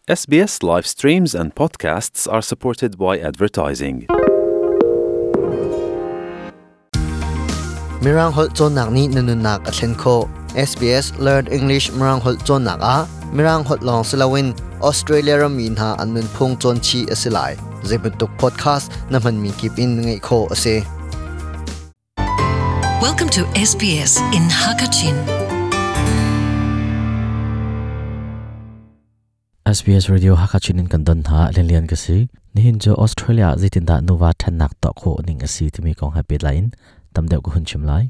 SBS live streams and podcasts are supported by advertising. Mirang holh cawnnak nih na nunnak a thlen khawh. SBS Learn English Mirang holh cawnnak ah Mirang holh lawng si loin Australia rammi hna an nunphung cawn chih a si lai. Zeibantuk podcast na hmanmi kip in ngaih khawh a si. Welcome to SBS in Hakachin. SBS Radio Hakachin in kan don hna Lenlian ka si. Nihin cu Australia zeitindah nuva ṭhennak tuah khawh ning a si timi kong he pehtlai in tam deuh ka hun chim lai.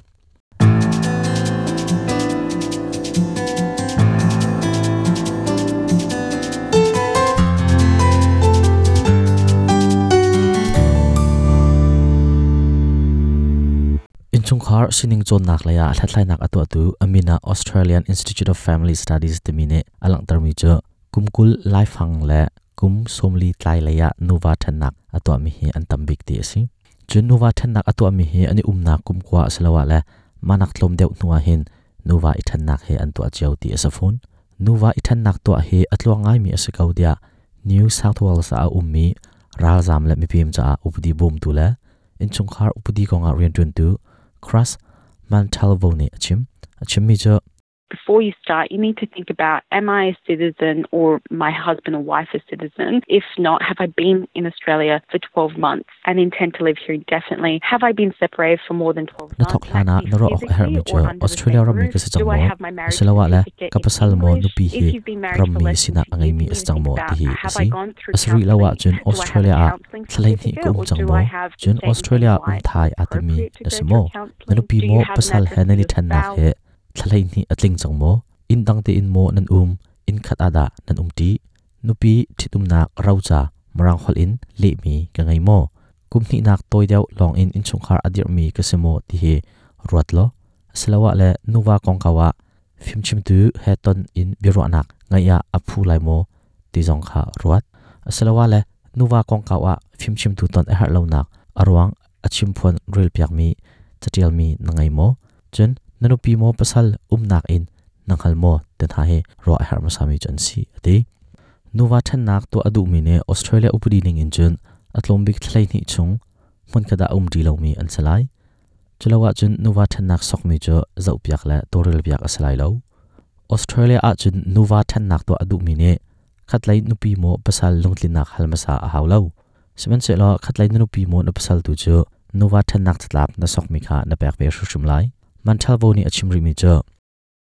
Innchungkhar sining cawnnak lei ah hlathlainak a tuahtu Amina Australian Institute of Family Studies timi nih a langhtermi cu kum 20 laifang le kum 40 tlai lei ah nuva ṭhennak a tuahmi hi an tam bik ti a si. Cun nuva ṭhennak a tuahmi hi an i umnak kum kua asiloah le mahnak tlawm deuh hnu ah hin nuva i ṭhennak hi an tuah cio ti a si fawn. Nuva i ṭhennak tuah hi a tluang ngaimi a si ko tiah New South Wales ah a ummi ralzaam le mipem caah upadi bawmtu le innchungkhar upadi kongah rianṭuantu Chris Montalvo nih a chim. A chimmi cu Before you start, you need to think about am I a citizen or my husband or wife a citizen? If not, have I been in Australia for 12 months and intend to live here indefinitely? Have I been separated for more than 12 Na months? thawk hlan ah na ruah awk a herhmi cu Australia rammi ka si cang maw asiloah le ka pasal maw nupi hi rammi sinak a ngeimi a si cang maw ti hi a si. A si rih lo ahcun Australia ah thla hleihnih ka um cang maw? Cun Australia um thai aa timi na si maw? Na nupi maw pasal he nan i ṭhennak hi thla hleihnih a tling cang maw? Inn dang tein maw nan um? Inn khat ah dah nan um ṭi? Nupi ṭhitumnak roca Mirang holh in lehmi ka ngei maw? Kum hnihnak tawi deuh lawngin innchungkhar a dirhmi ka si maw ti hi ruat law asiloah le nuva kongkau ah fimchimtu he ton in biaruahnak ngeih ah a phu lai maw ti zong kha ruat. Asiloah le nuva kongkau ah fimchimtu ton a herh lonak a ruang a chimphuan relpiakmi caṭialmi na ngei maw? Cun na nupi maw pasal umnak in na hngal maw ti hna hi ruah a herh hmasami cu an si a ti. Nuva ṭhennak tuah a duhmi nih Australia upadi ning in cun a tlawm bik thla hleihnih chung hmunkhat ah a um ṭi lomi an si lai. Culo ahcun nuva ṭhennak sokmi cu zohpiak le tawlrelpiak a si lai lo. Australia ahcun nuva ṭhennak tuah a duhmi nih khatlei nupi maw pasal lungtlinnak hal hmasa a hau lo. Sihmanhsehlaw khatlei na nupi maw na pasal tu cu nuva ṭhennak catlap na sokmi kha na pek ve hrimhrim lai. Manṭhalvo nih a chim rihmi cu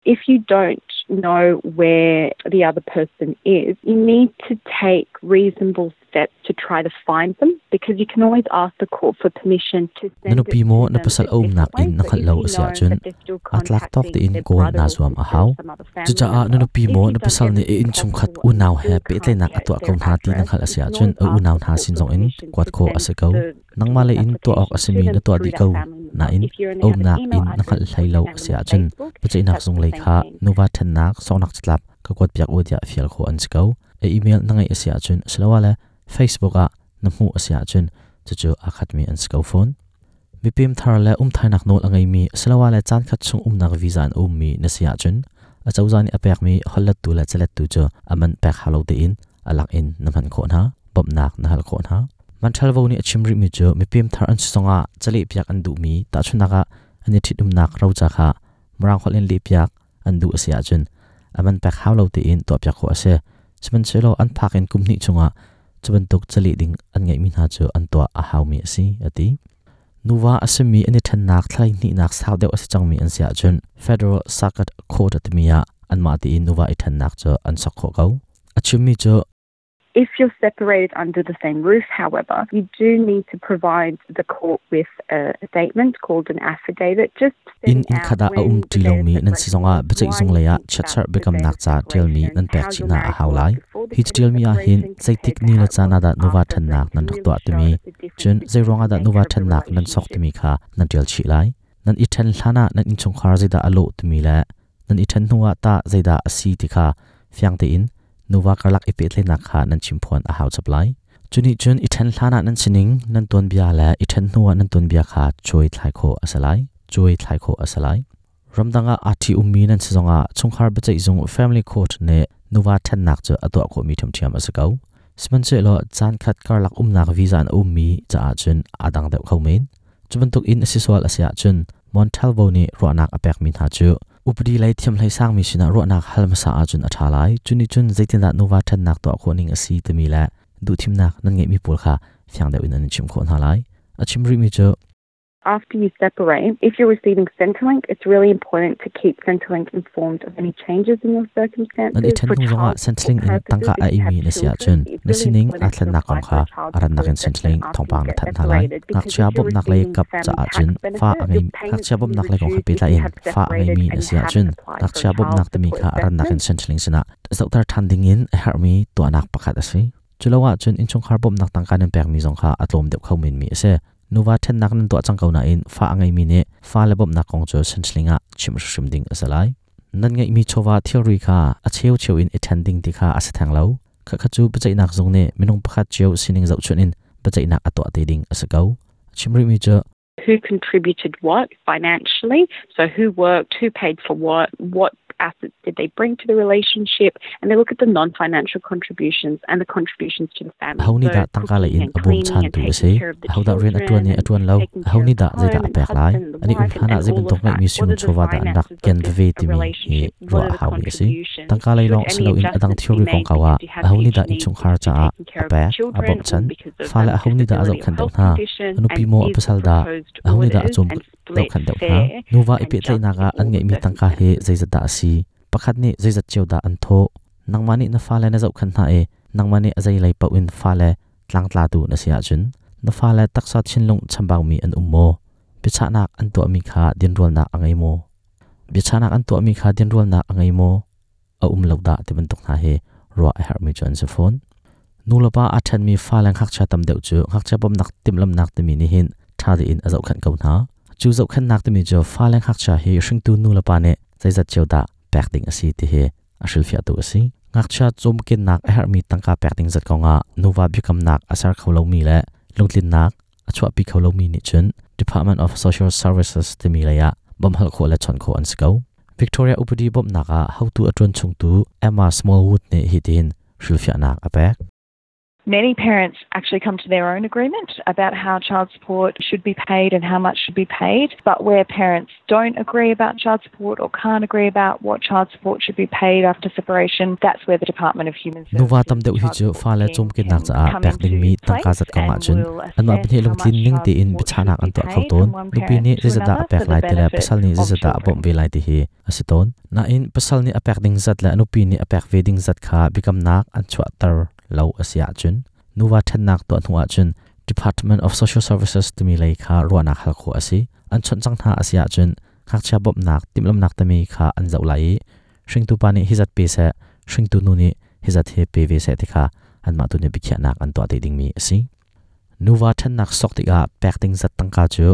If you don't know where the other person is, you need to take reasonable steps to try to find them because you can always ask the court for permission to Na send nupi it maw to na them pasal a a umnak different way. in na So hngalh if lo you a si know ahcun that they're still aa tlak tawk contacting tein their kawl brother naa or zuam a sister hau. or some other family Cucaah na member, nupi if maw you've na done pasal nih a everything innchungkhat possible and unau you he still can't pehtlaihnak a get tuah ko their hna ti na address, hngalh a you si can ahcun always a ask unau the hna court sin for zong in permission kuat to khawh a send si ko. the Nangmah le divorce in tuah awk a application to simi them na tuah through dih that ko family member. nain If you only a have an umnak email in na address hngalh or hlei you lo found a them si on ahcun Facebook, biaceihnak that's zung the lei same kha thing. nuva ṭhennak sawknak catlap ka kuatpiak u tiah fial khawh an si ko. A email na ngeih a si ahcun asiloah le Facebook ah na hmuh a si ahcun cucu aa khatmi an si ko fawn. Mipem thar le umthainak nawl a ngeimi asiloah le caankhat chung umnak visa in a ummi na si ahcun acozah nih a pekmi holhlettu le calettu cu a man pek hau lo tein a lak in na hman khawh hna, bawmhnak na hal khawh hna. Manṭhalvo nih a chim rihmi cu mipem thar an si zongah calehpiak an duhmi tahchunhnak ah an i ṭhitumnak roca kha Mirang holh in lehpiak an duh a si ahcun a man pek hau lo tein tuahpiak khawh a si. Sihmanhsehlaw an phak in kum hnih chungah cu bantuk caleh ding an ngeihmi hna cu an tuah a haumi a si, a ti. Nuva a simi an i ṭhennak thla hnihnak sau deuh a si cangmi an si ahcun Federal Circuit Court timi ah anmah tein nuva i ṭhennak cu an sok khawh ko. A chimmi cu If you're separated under the same roof, however, you do need to provide the court with a statement called an affidavit just Inn setting inn out khat ah a um when the ṭi date of lomi nan si separation zongah was, biaceih why zung you lei ah think that chiatserh the date biakamnak of ca ṭialmi separation, nan pek how chih your hna a marriage hau was lai. before the Hi date of caṭialmi ah hin separation zeitik compared to ni how le it caan was ah dah nuva after, so ṭhennak you nan can rak really tuah show timi, the difference cun between zeiruang ah the dah nuva nature of the ṭhennak nan sok relationship. timi kha nan ṭial chih lai. Nan i ṭhen hlan ah nan innchungkhar zeidah a lawh timi le nan i ṭhen hnuah tah zeidah a si ti kha fiang tein nuva karlak i pehtlaihnak kha nan chimphuan a hau chap lai. Cu nih cun i ṭhen hlanah nan sining, nan tuanbia le i ṭhen hnuah nan tuanbia kha cuai thlai khawh a si lai. Cuai thlai khawh a si lai. Ramdang ah aa ṭhi ummi nan si zongah chungkhar biaceihzung family court nih Nuva ṭhennak cu a tuah khawhmi ṭhiamṭhiam a si ko. Sihmanhsehlaw caan khat karlak umnak visa in a ummi caah cun aa dang deuh kho men. Cu bantuk in a si sual a si ahcun Montalvo nih ruahnak a pekmi hna cu upadi lei thiamhlei sangmi sinah ruahnak hal hmasa ahcun a ṭha lai. Cu nih cun zeitindah nuva ṭhennak tuah khawh ning a si timi le duhthimnak nan ngeihmi pawl kha fiang deuh in an in chimh khawh hna lai. A chim rihmi cu After you separate, if you're receiving Centrelink, it's really important to keep Centrelink informed of any changes in your circumstances. Nan i ṭhen hnu zongah Centrelink in tangka a eimi na si ahcun na sining aa thlennak kong kha a rannak in Centrelink thawngpang na thanh hna lai. Ngakchia bawmhnak lei kap caah cun fa a ngei ngakchia bawmhnak lei kong he pehtlai in fa a ngeimi na si ahcun ngakchia bawmhnak timi kha a rannak in Centrelink sinah zohter ṭhan dingin a herhmi tuahnak pakhat a si. Cu lo ahcun innchungkhar bawmhnak tangka nan pekmi zong kha a tlawm deuh kho menmi a si. Nuva ṭhennak nan tuah cang ko nain fa a ngeimi nih fale bawmhnak kong cu Centrelink ah chimh hrimhrim ding a si lai. Nan ngeihmi chawva thilri kha a cheucheu in i ṭhen ding ti kha a si theng lo. Khakha cu biaceihnak zung nih minung pakhat cio sining zohchunh in biaceihnak a tuah te ding a si ko. A chim rihmi cu who contributed what financially, so who worked, who paid for what, what assets did they bring to the relationship, and they look at the non-financial contributions and the contributions to the family. Aho nih dah tangka lei in a bawmchantu a si? Ahodah rian a ṭuan i a ṭuan lo? Aho nih dah zeidah a pek lai? An i um hlanah zei bantuk ngeihmi sung chawva dah an rak ken veve timi hi ruah a haumi a si. Tangka lei lawng si loin a dang thilri kongkau ah aho nih dah innchungkhar caah a pek, a bawmhchanh? Fale aho nih dah a zohkhenh deuh hna? A nupi maw a pasal dah? Aho nih dah a cawm dohkhenh deuh hna. Nuva i pehtlaihnak ah an ngeihmi tangka hi zeizat dah a si? Pakhat nih zeizat cio dah an thawh? Nangmah nih na fale na zohkhenh hna i nangmah nih a zeilei paoh in fale tlangtlatu na si ahcun na fale taksa thinlung chambaumi an um maw? Biachahnak an tuahmi kha dinrualnak a ngei maw? Biachahnak an tuahmi kha dinrualnak a ngei maw? A um lo dah ti bantuk hna hi ruah a herhmi cu an si fawn. Nulepa aa ṭhenmi fale ngakchia tam deuh cu ngakchia bawmhnak timhlamhnak timi nih hin ṭha tein a zohkhenh ko hna. Cu zohkhenhnak timi cu fale ngakchia hi hringtu nulepa nih zeizat cio dah pek ding a si ti hi a hrilhfiahtu a si. Ngakchia cawmkennak a herhmi tangka pek ding zat kongah nuva biakamnak a ser kho lomi le lungtlinnak a chuahpi kho lomi nih cun Department of Social Services timi lei ah bawmhhal khawh le chawnh khawh an si ko. Victoria upadi bawmhnak ah hotu a ṭuan chungtu Emma Smallwood nih hitin hrilhfiahnak a pek. Many parents actually come to their own agreement about how child support should be paid and how much should be paid. But where parents don't agree about child support or can't agree about what child support should be paid after separation, that's where the Department of Human Services Nuva tam deuh hi cu fale cawmkennak caah pek dingmi tangka zat kong ahcun anmah pahnih lungtlin ning tein biachahnak an tuah kho tawn. Nupi nih zeizatdah a pek lai ti le pasal nih zeizatdah a bawmh ve lai ti hi a si tawn. Nain pasal nih a pek ding zat le a nupi nih a pek ve ding zat kha biakamnak an chuahter lo a si ahcun nuva ṭhennak tuah hnu ahcun Department of Social Services timi lei kha ruahnak hal khawh a si. An chawnh cang hna a si ahcun ngakchia bawmhnak timhlamhnak timi kha an zoh lai i hringtu pa nih hi zat pe seh, hringtu nu nih hi zat hi pe ve seh ti kha anmah tu nih biakhiahnak an tuah te dingmi a si. Nuva ṭhennak sok tikah pek ding zat tangka cu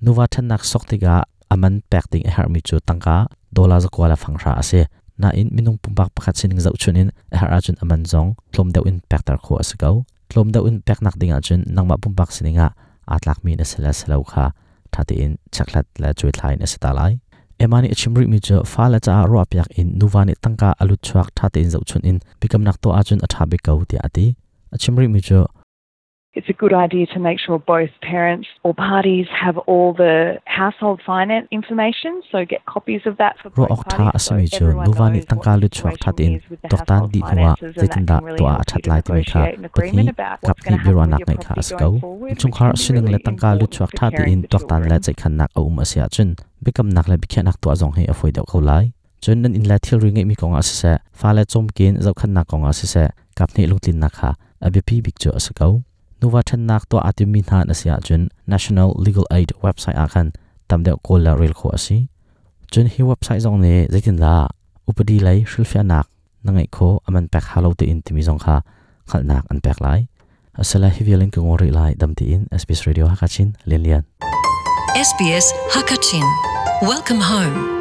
nuva ṭhennak sok tikah a man pek ding a herhmi cu tangka dollar zakua le fanghra a si. Nain minung pumpak pakhat sining zohchun in a herh ahcun a man zong tlawm deuh in pekter khawh a si ko. Tlawm deuh in peknak ding ahcun nangmah pumpak sining ah aa tlakmi na si le si lo kha ṭha tein chekhlat le cuaithlai in a si ta lai. Emma nih a chim rihmi cu fale caah ruahpiak in nuva nih tangka a lut chuak ṭha tein zohchun in biakamnak tuah ahcun a ṭha bik ko tiah a ti. A chim rihmi cu It's a good idea to make sure both parents or parties have all the household finance information, so get copies of that for Ruah awk ṭha a simi cu nuva nih tangka lutchuak ṭha tein tuaktan dih hnuah zeitindah tuah a ṭhat lai timi kha pahnih kaphnih biaruahnak ngeih kha a si ko. Innchungkhar sining le tangka lutchuak ṭha tein tuaktan le ceihkhannak a um a si ahcun biakamnak le biakhiahnak tuah zong hi a fawi deuh ko lai. Cun nan inn le thilri ngeihmi kongah siseh, fale cawmken zohkhenhnak kongah siseh, kaphnih lungtlinnak kha a biapi bik cu a si ko. Nuva ṭhennak tuah aa timmi hna na si ahcun National Legal Aid website ah khan tam deuh kawl le rel khawh a si. Cun hi website zong nih zeitindah upadi lei hrilhfiahnak na ngeih khawh a man pek hau lo tein timi zong kha hngalhnak an pek lai. Asala hi vial in ka ngor rih lai dam tiin SBS Radio Hakachin Lian Lian. SBS Hakachin. Welcome home.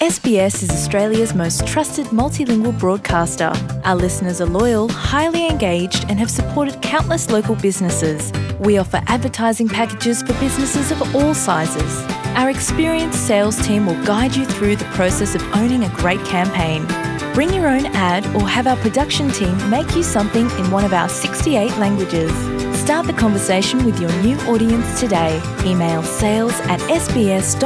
SBS is Australia's most trusted multilingual broadcaster. Our listeners are loyal, highly engaged, and have supported countless local businesses. We offer advertising packages for businesses of all sizes. Our experienced sales team will guide you through the process of owning a great campaign. Bring your own ad or have our production team make you something in one of our 68 languages. Start the conversation with your new audience today. Email sales at sbs.com.au.